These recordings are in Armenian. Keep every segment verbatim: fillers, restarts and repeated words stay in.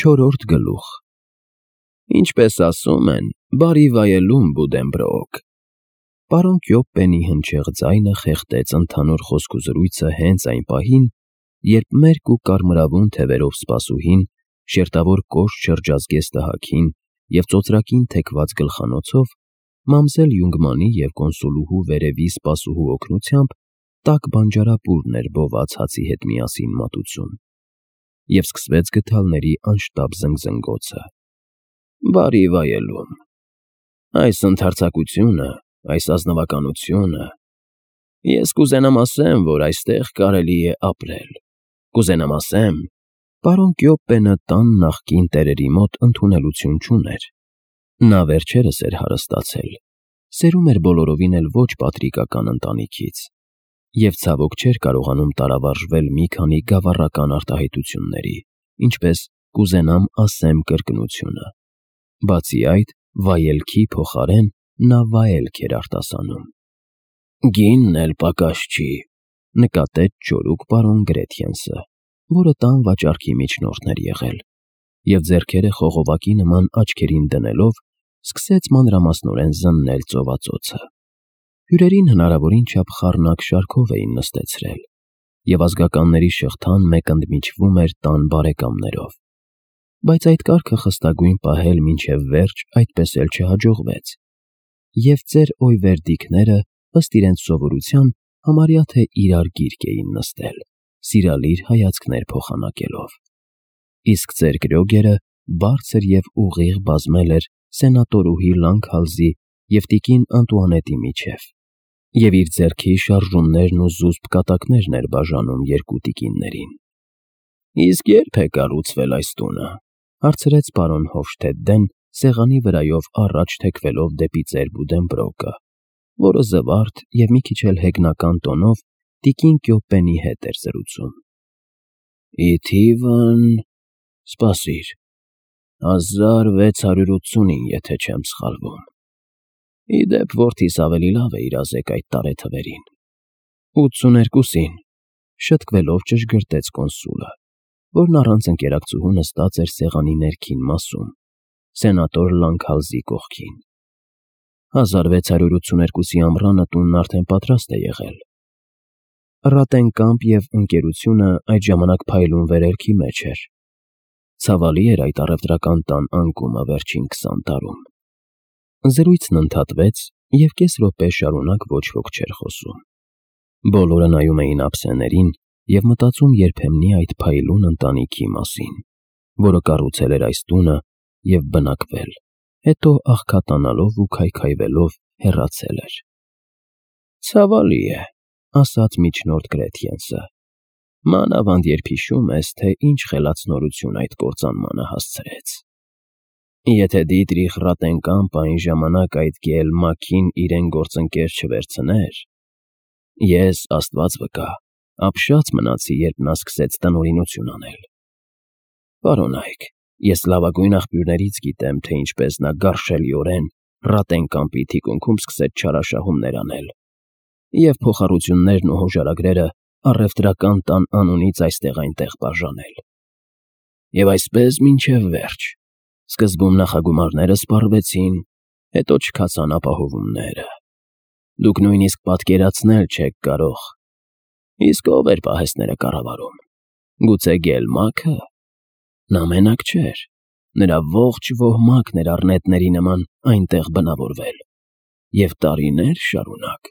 Չորրորդ գլուխ։ Ինչպես ասում են, բարի վայելում, Բուդենբրոկ։ Պարոն Կյոպպենի հնչեղ ձայնը խեղդեց ընդհանուր խոսքուզրույցը հենց այն պահին, երբ մերկ ու կարմրավուն թևերով սպասուհին շերտավոր կոշտ շրջազգեստ տհաքին և ծոծրակին թեքված գլխանոցով մամզել Յունգմանի և կոնսուլուհու վերևի սպասուհու օգնությամբ տաք բանջարապուրն էր բոված հացի հետ միասին մատուցում, և սկսվեց գդալների անշտապ զնգզնգոցը։ Բարի վայելում։ Այս ընդարձակությունը, այս ազնվականությունը… Ես կուզենամ ասեմ, որ այստեղ կարելի է ապրել, կուզենամ ասեմ… Պարոն Կյոպպենը տան նախկին տերերի մոտ ընդունելություն չուներ. նա վերջերս էր հարստացել, սերում էր բոլորովին էլ ոչ պատրիկական ընտանիքից և ցավոք չէր կարողանում տարավարժվել մի քանի գավառական արտահայտությունների, ինչպես «կուզենամ ասեմ» կրկնությունը, բացի այդ, վայելքի փոխարեն նա վայելք էր արտասանում։ «Գինն էլ պակաս չի», նկատեց ճորուկ պարոն Գրեթյենսը, որը տան վաճառքի միջնորդն էր եղել, և ձեռքերը խողովակի նման աչքերին դնելով սկսեց մանրամասնորեն զննել ծովածոցը։ Հյուրերին հնարավորին չափ խառնակ շարքով էին նստեցրել, և ազգականների շղթան մեկ ընդմիջվում էր տան բարեկամներով, բայց այդ կարգը խստագույն պահել մինչև վերջ այդպես էլ չհաջողվեց, և ծեր օյվերդիկները, ըստ իրենց սովորության, համարյա թե իրար գիրկ էին նստել, սիրալիր հայացքներ փոխանակելով, իսկ ծեր Կրյոգերը բարձր և ուղիղ բազմել էր սենատորուհի Լանգհալզի և տիկին Անտուանետի միջև, և իր ձեռքի շարժումներն ու զուսպ կատակներն էր բաժանում երկու տիկիններին։ ֊ Իսկ ե՞րբ է կառուցվել այս տունը,֊ հարցրեց պարոն Հոֆշթեդտեն, սեղանի վրայով առաջ թեքվելով դեպի ծեր Բուդենբրոկը, որը զվարթ և մի քիչ էլ հեգնական տոնով տիկին Կյոպպենի հետ էր զրուցում։ ֊ Ի թիվն… Սպասիր… հազար վեց հարյուր ութսունին, եթե չեմ սխալվում… Ի դեպ, որդիս ավելի լավ է իրազեկ այդ տարեթվերին… ութսուներկուսին, շըտկվելով ճշգրտեց կոնսուլը, որն առանց ընկերակցուհու նստած էր սեղանի ներքին մասում, սենատոր Լանգհալզի կողքին։ հազար վեց հարյուր ութսուներկուսի ամռանը տունն արդեն պատրաստ է եղել։ Ռատենկամպ և Ընկերությունը այդ ժամանակ փայլուն վերելքի մեջ էր. ցավալի էր այդ առևտրական տան անկումը վերջին քսան տարում։ Զրույցն ընդհատվեց, և կես րոպե շարունակ ոչ ոք չէր խոսում։ Բոլորը նայում էին ափսեներին և մտածում երբեմնի այդ փայլուն ընտանիքի մասին, որը կառուցել էր այս տունը և բնակվել, հետո աղքատանալով ու քայքայվելով հեռացել էր։ ֊ Ցավալի է,֊ ասաց միջնորդ Գրեթյենսը,֊ մանավանդ երբ հիշում ես, թե ինչ խելացնորություն այդ կործանմանը հասցրեց։ Եթե Դիտրիխ Ռատենկամպը այն ժամանակ այդ Գեել Մաքին իրեն գործընկեր չվերցներ… Ես, աստված վկա, ապշած մնացի, երբ նա սկսեց տնօրինություն անել… Պարոնայք, ես լավագույն աղբյուրներից գիտեմ, թե ինչպես նա գարշելիորեն Ռատենկամպի թիկունքում սկսեց չարաշահումներ անել և փոխառություններն ու հոժարագրերը առևտրական տան անունից այստեղ֊այնտեղ բաժանել… Եվ այսպես մինչև վերջ… Սկզբում նախագումարները սպառվեցին, հետո չքացան ապահովումները… Դուք նույնիսկ պատկերացնել չեք կարող… Իսկ ո՞վ էր պահեստները կառավարում… Գուցե Գեելմա՞քը… Նա մենակ չէր… Նրա ողջ ոհմակն էր առնետների նման այնտեղ բնավորվել… և տարիներ շարունակ…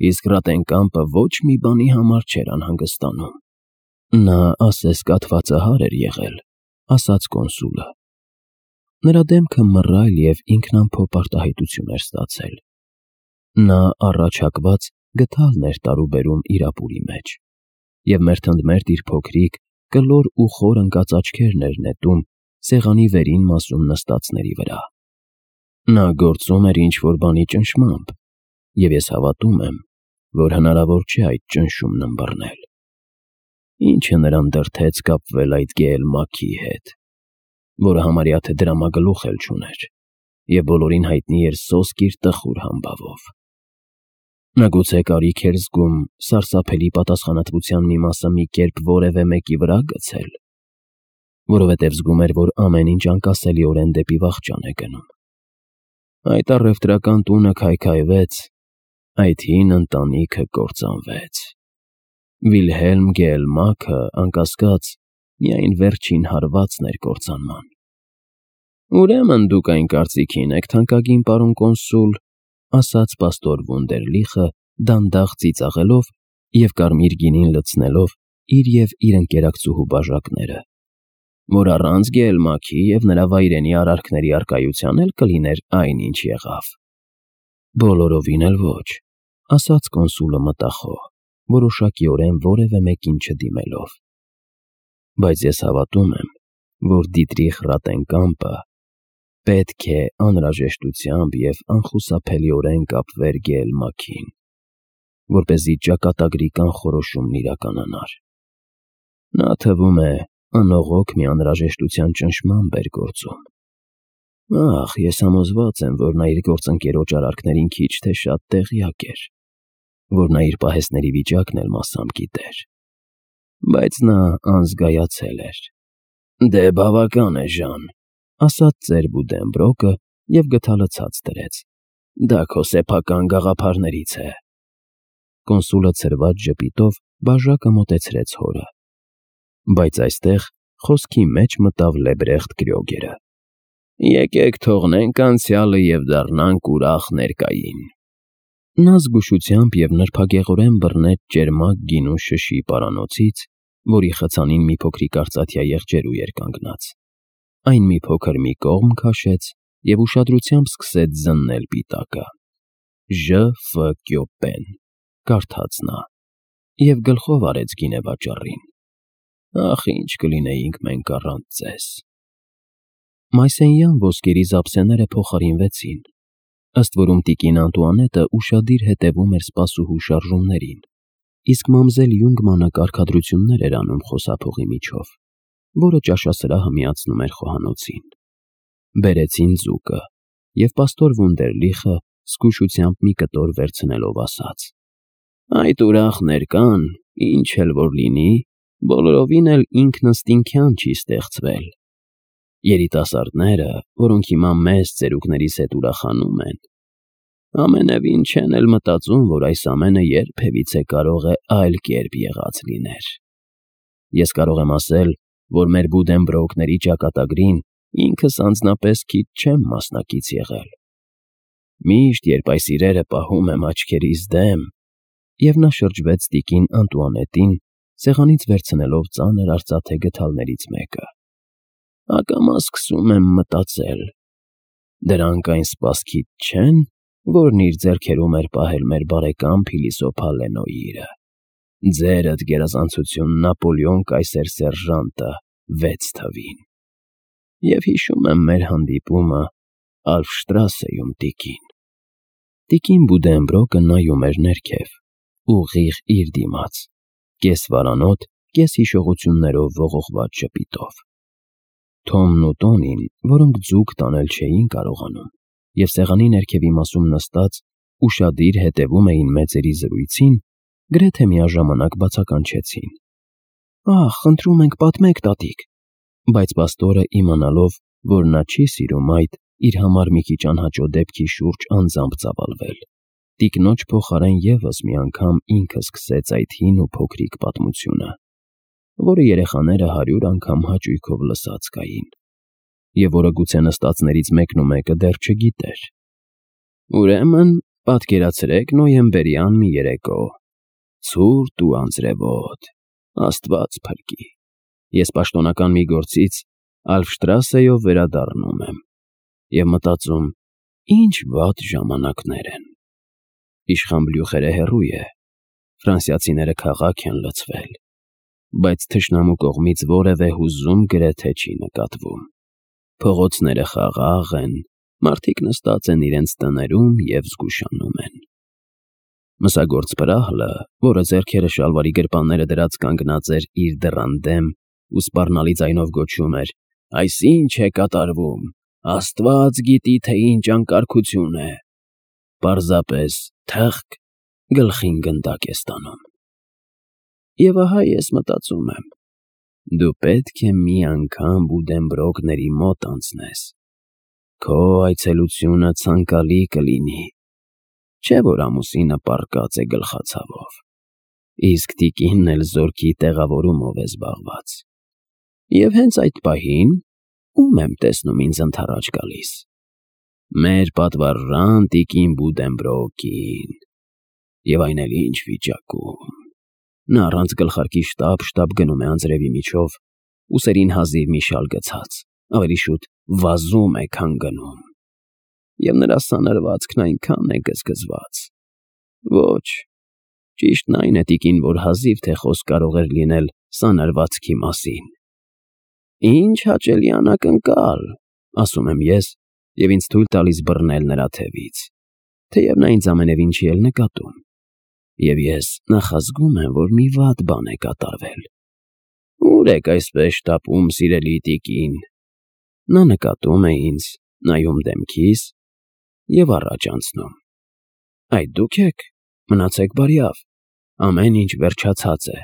Իսկ Ռատենկամպը ոչ մի բանի համար չէր անհանգստանում… Նա ասես կաթվածահար էր եղել,֊ ասաց կոնսուլը։ Նրա դեմքը մռայլ և ինքնամփոփ արտահայտություն էր ստացել։ Նա առաջ հակված գդալն էր տարուբերում իր ապուրի մեջ և մերթընդմերթ իր փոքրիկ, կլոր ու խոր ընկած աչքերն էր նետում սեղանի վերին մասում նստածների վրա։ Նա գործում էր ինչ֊որ բանի ճնշմամբ, և ես հավատում եմ, որ հնարավոր չէ այդ ճնշումն ըմբռնել։ Ի՞նչը նրան դրդեց կապվել այդ Գեել-Մաքքի հետ, որը համարյա թե դրամագլուխ էլ չուներ և բոլորին հայտնի էր սոսկ իր տխուր համբավով։ Նա գուցե կարիք էր զգում սարսափելի պատասխանատվության մի մասը մի կերպ որևէ մեկի վրա գցել։ որովհետև զգում էր, որ ամեն ինչ անկասելիորեն դեպի վախճան է գնում։ Այդ առևտրական տունը քայքայվեց, այդ հին ընտանիքը կործանվեց։ Վիլհելմ Գեելմաքը, անկասկած, միայն վերջին հարվածն էր կործանման։ «Ուրեմն դուք այն կարծիքին եք, թանկագին պարոն կոնսուլ», ասաց պաստոր Վունդերլիխը, դանդաղ ծիծաղելով և կարմիր գինին լցնելով իր և իր ընկերակցուհու բաժակները, «որ առանց Գեելմաքի և նրա վայրենի արարքների առկայության էլ կլիներ այն, ինչ եղավ»։ «Բոլորովին էլ ոչ», ասաց կոնսուլը մտախոհ, որոշակիորեն որևէ մեկին չդիմելով։ «Բայց ես հավատում եմ, որ Դիտրիխ Ռատենկամպը պետք է անհրաժեշտությամբ և անխուսափելիորեն կապվեր Գեելմաքին, որպեսզի ճակատագրի կանխորոշումն իրականանար։ Նա, թվում է, անողոք մի անհրաժեշտության ճնշմամբ էր գործում։ Ախ, ես համոզված եմ, որ նա իր գործընկերոջ արարքներին քիչ թե շատ տեղյակ էր, որ նա իր պահեստների վիճակն էլ մասամբ գիտեր։ Բայց նա անզգայացել էր։ Դե բավական է, Ժան, ասաց ծեր Բուդենբրոկը և գդալը ցած դրեց։ Դա քո սեփական գաղափարներից է։ Կոնսուլը ցրված ժպիտով բաժակը մոտեցրեց հորը։ Բայց այստեղ խոսքի մեջ մտավ Լեբրեխտ Կրյոգերը։ Եկեք թողնենք անցյալը և դառնանք ուրախ ներկային։ Նա զգուշությամբ և նրբագեղորեն բռնեց ճերմակ գինու շշի պարանոցից, որի խցանին մի փոքրիկ արծաթյա եղջերու էր կանգնած։ Այն մի փոքր մի կողմ քաշեց և ուշադրությամբ սկսեց զննել պիտակը։ Ժ. Ֆ. Կյոպպեն, կարդաց նա, և գլխով արեց գինեվաճառին։ Ախ, ինչ կլինեինք մենք առանց ձեզ։ Մայսենյան ոսկերի զապսեները փոխարինվեցին, ըստ որում տիկին Անտուանետը ուշադիր հետևում էր սպասուհու շարժումներին, իսկ մամզել Յունգմանը կարգադրություններ էր անում խոսափողի միջով, որը ճաշասրահը միացնում էր խոհանոցին։ Բերեցին ձուկը, և պաստոր Վունդերլիխը զգուշությամբ մի կտոր վերցնելով ասաց. Այդ ուրախ ներկան, ինչ էլ որ լինի, բոլորովին էլ ինքնըստինքյան չի ստեղծվել։ Երիտասարդները, որոնք հիմա մեզ ծերուկներիս հետ ուրախանում են, ամենևին չեն էլ մտածում, որ այս ամենը երբևիցե կարող է այլ կերպ եղած լիներ։ Ես կարող եմ ասել, որ մեր Բուդենբրոկների ճակատագրին ինքս անձնապես քիչ չեմ մասնակից եղել։ Միշտ, երբ այս իրերը պահում եմ աչքերիս դեմ, և նա շրջվեց տիկին Անտուանետին, սեղանից վերցնելով ծանր արծաթե գդալներից մեկը, ակամա սկսում եմ մտածել. դրանք այն սպասքից չե՞ն, որն իր ձեռքերում էր պահել մեր բարեկամ փիլիսոփա Լենոյիրը, ձերդ գերազանցություն Նապոլեոն կայսեր սերժանտը վեց թվին։ Եվ հիշում եմ մեր հանդիպումը Ալպշտրասեում, տիկին։ Տիկին Բուդենբրոկը նայում էր ներքև, ուղիղ իր դիմաց, կես վարանոտ, կես հիշողություններով ողողված ժպիտով։ Թոմն ու Տոնին, որոնք ձուկ տանել չէին կարողանում, և սեղանի ներքևի մասում նստած ուշադիր հետևում էին մեծերի զրույցին, գրեթե միաժամանակ բացականչեցին. Ախ, խնդրում ենք, պատմեք, տատիկ։ Բայց պաստորը, իմանալով, որ նա չի սիրում այդ, իր համար մի քիչ անհաճո դեպքի շուրջ անձամբ ծավալվել, տիկնոջ փոխարեն ևս մի անգամ ինքը սկսեց այդ հին ու փոքրիկ պատմությունը, որը երեխաները հարյուր անգամ հաճույքով լսած կային, և որը գուցե նստածներից մեկն ու մեկը դեռ չգիտեր։ Ուրեմն, պատկերացրեք նոյեմբերյան մի երեկո, ցուրտ ու անձրևոտ, Աստված փրկի, ես պաշտոնական մի գործից Ալպշտրասեով վերադառնում եմ և մտածում. ինչ վատ ժամանակներ են։ Իշխան Բլյուխերը հեռու է, ֆրանսիացիները քաղաք են լցվել, բայց թշնամու կողմից որևէ հուզում գրեթե չի նկատվում։ Փողոցները խաղաղ են, մարդիկ նստած են իրենց տներում և զգուշանում են։ Մսագործ Պրահլը, որը ձեռքերը շալվարի գրպանները դրած կանգնած էր իր դռան դեմ ու սպառնալի ձայնով գոչում էր. «Այս ի՞նչ է կատարվում, Աստված գիտի, թե ինչ անկարգություն է», պարզապես թըղկ գլխին գնդակ է ստանում։ Եվ ահա ես մտածում եմ. Դու պետք է մի անգամ Բուդենբրոկների մոտ անցնես։ Քո այցելությունը ցանկալի կլինի, չէ՞ որ ամուսինը պառկած է գլխացավով, իսկ տիկինն էլ զորքի տեղավորումով է զբաղված։ Եվ հենց այդ պահին ում եմ տեսնում ինձ ընդառաջ գալիս։ Մեր պատվարժան տիկին Բուդենբրոկին, և այն էլ ինչ վիճակում։ Նա առանց գլխարկի շտապ-շտապ գնում է անձրևի միջով, ուսերին հազիվ մի շալ գցած, ավելի շուտ վազում է, քան գնում։ Եվ նրա սանրվածքն այնքան է գզգզված։ Ոչ, ճիշտն այն է, տիկին, որ հազիվ թե խոսք կարող էր լինել սանրվածքի մասին։ Ինչ հաճելի անակնկալ, ասում եմ ես, և ինձ թույլ տալիս բռնել նրա թևից, թեև նա ինձ ամենևին չի էլ նկատում, և ես նախազգում եմ, որ մի վատ բան է կատարվել։ Ո՞ւր եք այսպես շտապում, սիրելի տիկին։ Նա նկատում է ինձ, նայում դեմքիս և առաջ անցնում։ Այդ դուք եք, մնացեք բարյավ, ամեն ինչ վերջացած է,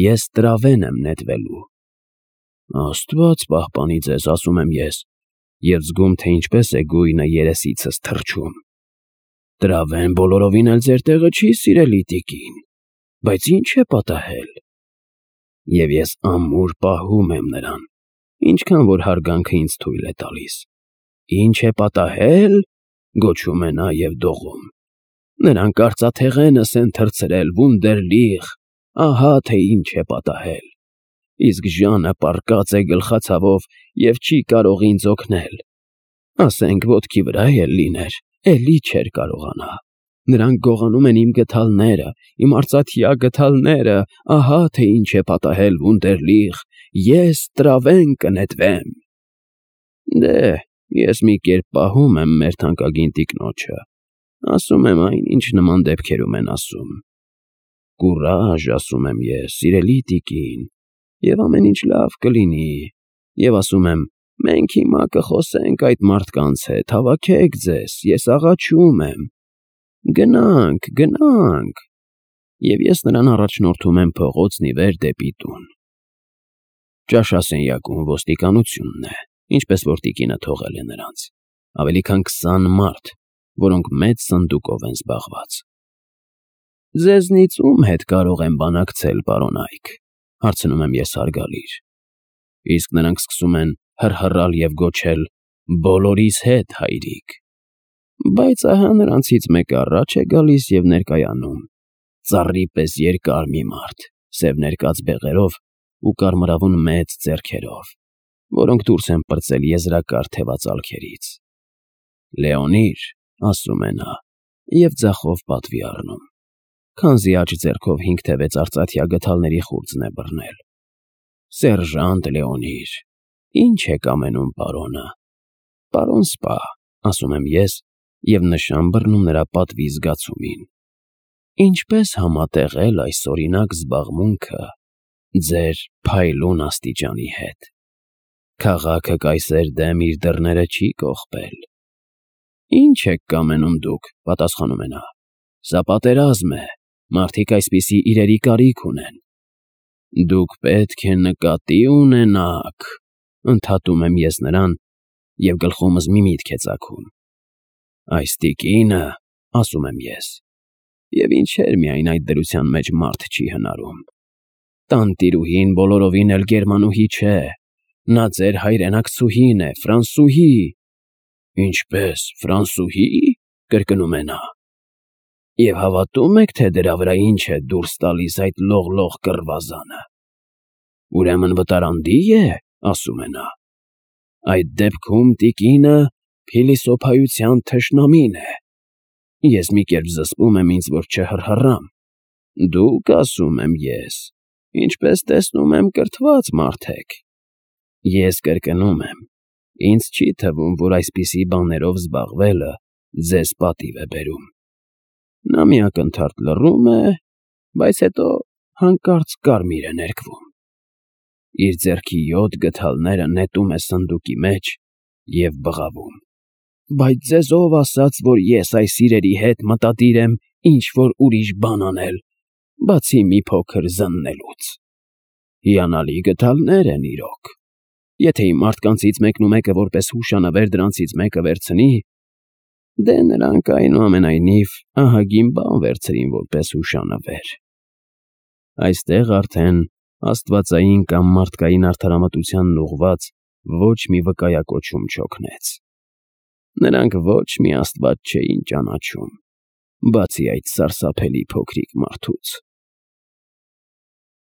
ես տրավեն եմ նետվելու։ Աստված պահպանի ձեզ, ասում եմ ես, և զգում, թե ինչպես է գույնը երեսիցս թռչում։ Տրավեն բոլորովին էլ ձեր տեղը չի, սիրելի տիկին, բայց ի՞նչ է պատահել։ Եվ ես ամուր պահում եմ նրան, ինչքան որ հարգանքը ինձ թույլ է տալիս։ Ինչ է պատահել, գոչում է նա և դողում։ Նրանք արծաթեղենս են թռցրել, Վունդերլիխ, ահա թե ինչ է պատահել։ Իսկ Ժանը պառկած է գլխացավով և չի կարող ինձ օգնել։ Ասենք ոտքի վրա էլ լիներ, էլի չէր կարողանա։ Նրանք գողանում են իմ գդալները, իմ արծաթյա գդալները, ահա թե ինչ է պատահել, Վունդերլիխ, ես տրավեն կնետվեմ։ Դե, ես մի կերպ պահում եմ մեր թանկագին տիկնոջը, ասում եմ այն, ինչ նման դեպքերում են ասում։ Կուրաժ, ասում եմ ես, սիրելի տիկին, և ամեն ինչ լավ կլինի, և ասում եմ, մենք հիմա կխոսենք այդ մարդկանց հետ, հավաքեք ձեզ, ես աղաչում եմ։ Գնանք, գնանք։ Եվ ես նրան առաջնորդում եմ փողոցն ի վեր դեպի տուն։ Ճաշասենյակում ոստիկանությունն է, ինչպես որ տիկինը թողել է նրանց, ավելի քան քսան մարդ, որոնք մեծ սնդուկով են զբաղված։ Ձեզնից ում հետ կարող եմ բանակցել, պարոն Այք, հարցնում եմ ես հարգալից։ Իսկ նրանք սկսում են հռհռալ և գոչել. բոլորիս հետ, հայրիկ։ Բայց ահա նրանցից մեկը առաջ է գալիս և ներկայանում, ծառի պես երկար մի մարդ, սև ներկած բեղերով ու կարմրավուն մեծ ձեռքերով, որոնք դուրս են պրծել եզրակար թևածալքերից։ Լեոնիր, ասում է նա, և ձախով պատվի առնում, քանզի աջ ձեռքով հինգ թե վեց արծաթյա գդալների խուրձն է բռնել։ Սերժանտ Լեոնիր, ի՞նչ եք ամենում, պարոնը։ Պարոն սպա, ասում եմ ես և նշան բռնում նրա պատվի զգացումին։ Ինչպես համատեղել այս օրինակ զբաղմունքը ձեր փայլուն աստիճանի հետ։ Քաղաքը կայսեր դեմ իր դռները չի կողպել։ Ի՞նչ եք կամենում դուք, պատասխանում է նա։ Սա պատերազմ է, մարդիկ այսպիսի իրերի կարիք ունեն։ Դուք պետք է նկատի ունենաք, ընդհատում եմ ես նրան, և գլխումս մի միտք է ծագում։ Այս տիկինը, ասում եմ ես, և ինչեր միայն այդ դրության մեջ մարդ չի հնարում։ Տանտիրուհին բոլորովին էլ գերմանուհի չէ, նա ձեր հայրենակցուհին է, ֆրանսուհի։ Ինչպե՞ս, ֆրանսուհի, կրկնում է նա։ Եվ հավատո՞ւմ եք, թե դրա վրա ինչ է դուրս տալիս այդ լողլող կռվազանը։ Ուրեմն վտարանդի է, ասում է նա։ Այդ դեպքում տիկինը փիլիսոփայության թշնամին է։ Ես մի կերպ զսպում եմ ինձ, որ չհռհռամ։ Դուք, ասում եմ ես, ինչպես տեսնում եմ, կրթված մարդ եք։ Ես կրկնում եմ, ինձ չի թվում, որ այսպիսի բաներով զբաղվելը ձեզ պատիվ է բերում։ Նա մի ակնթարթ լռում է, բայց հետո հանկարծ կարմիր է ներկվում։ Իր ձեռքի յոթ գդալները նետում է սնդուկի մեջ և բղավում։ Բայց ձեզ ով ասաց, որ ես այս իրերի հետ մտադիր եմ ինչ-որ ուրիշ բան անել, բացի մի փոքր զննելուց։ Հիանալի գդալներ են իրոք։ Եթե իմ մարդկանցից մեկնումեկը որպես հուշանվեր դրանցից մեկը վերցնի, դե նրանք այնուամենայնիվ ահագին բան վերցրին որպես հուշանվեր։ Այստեղ արդեն աստվածային կամ մարդկային արդարամտությանն ուղղված ոչ մի վկայակոչում չօգնեց։ Նրանք ոչ մի աստված չէին ճանաչում, բացի այդ սարսափելի փոքրիկ մարդուց։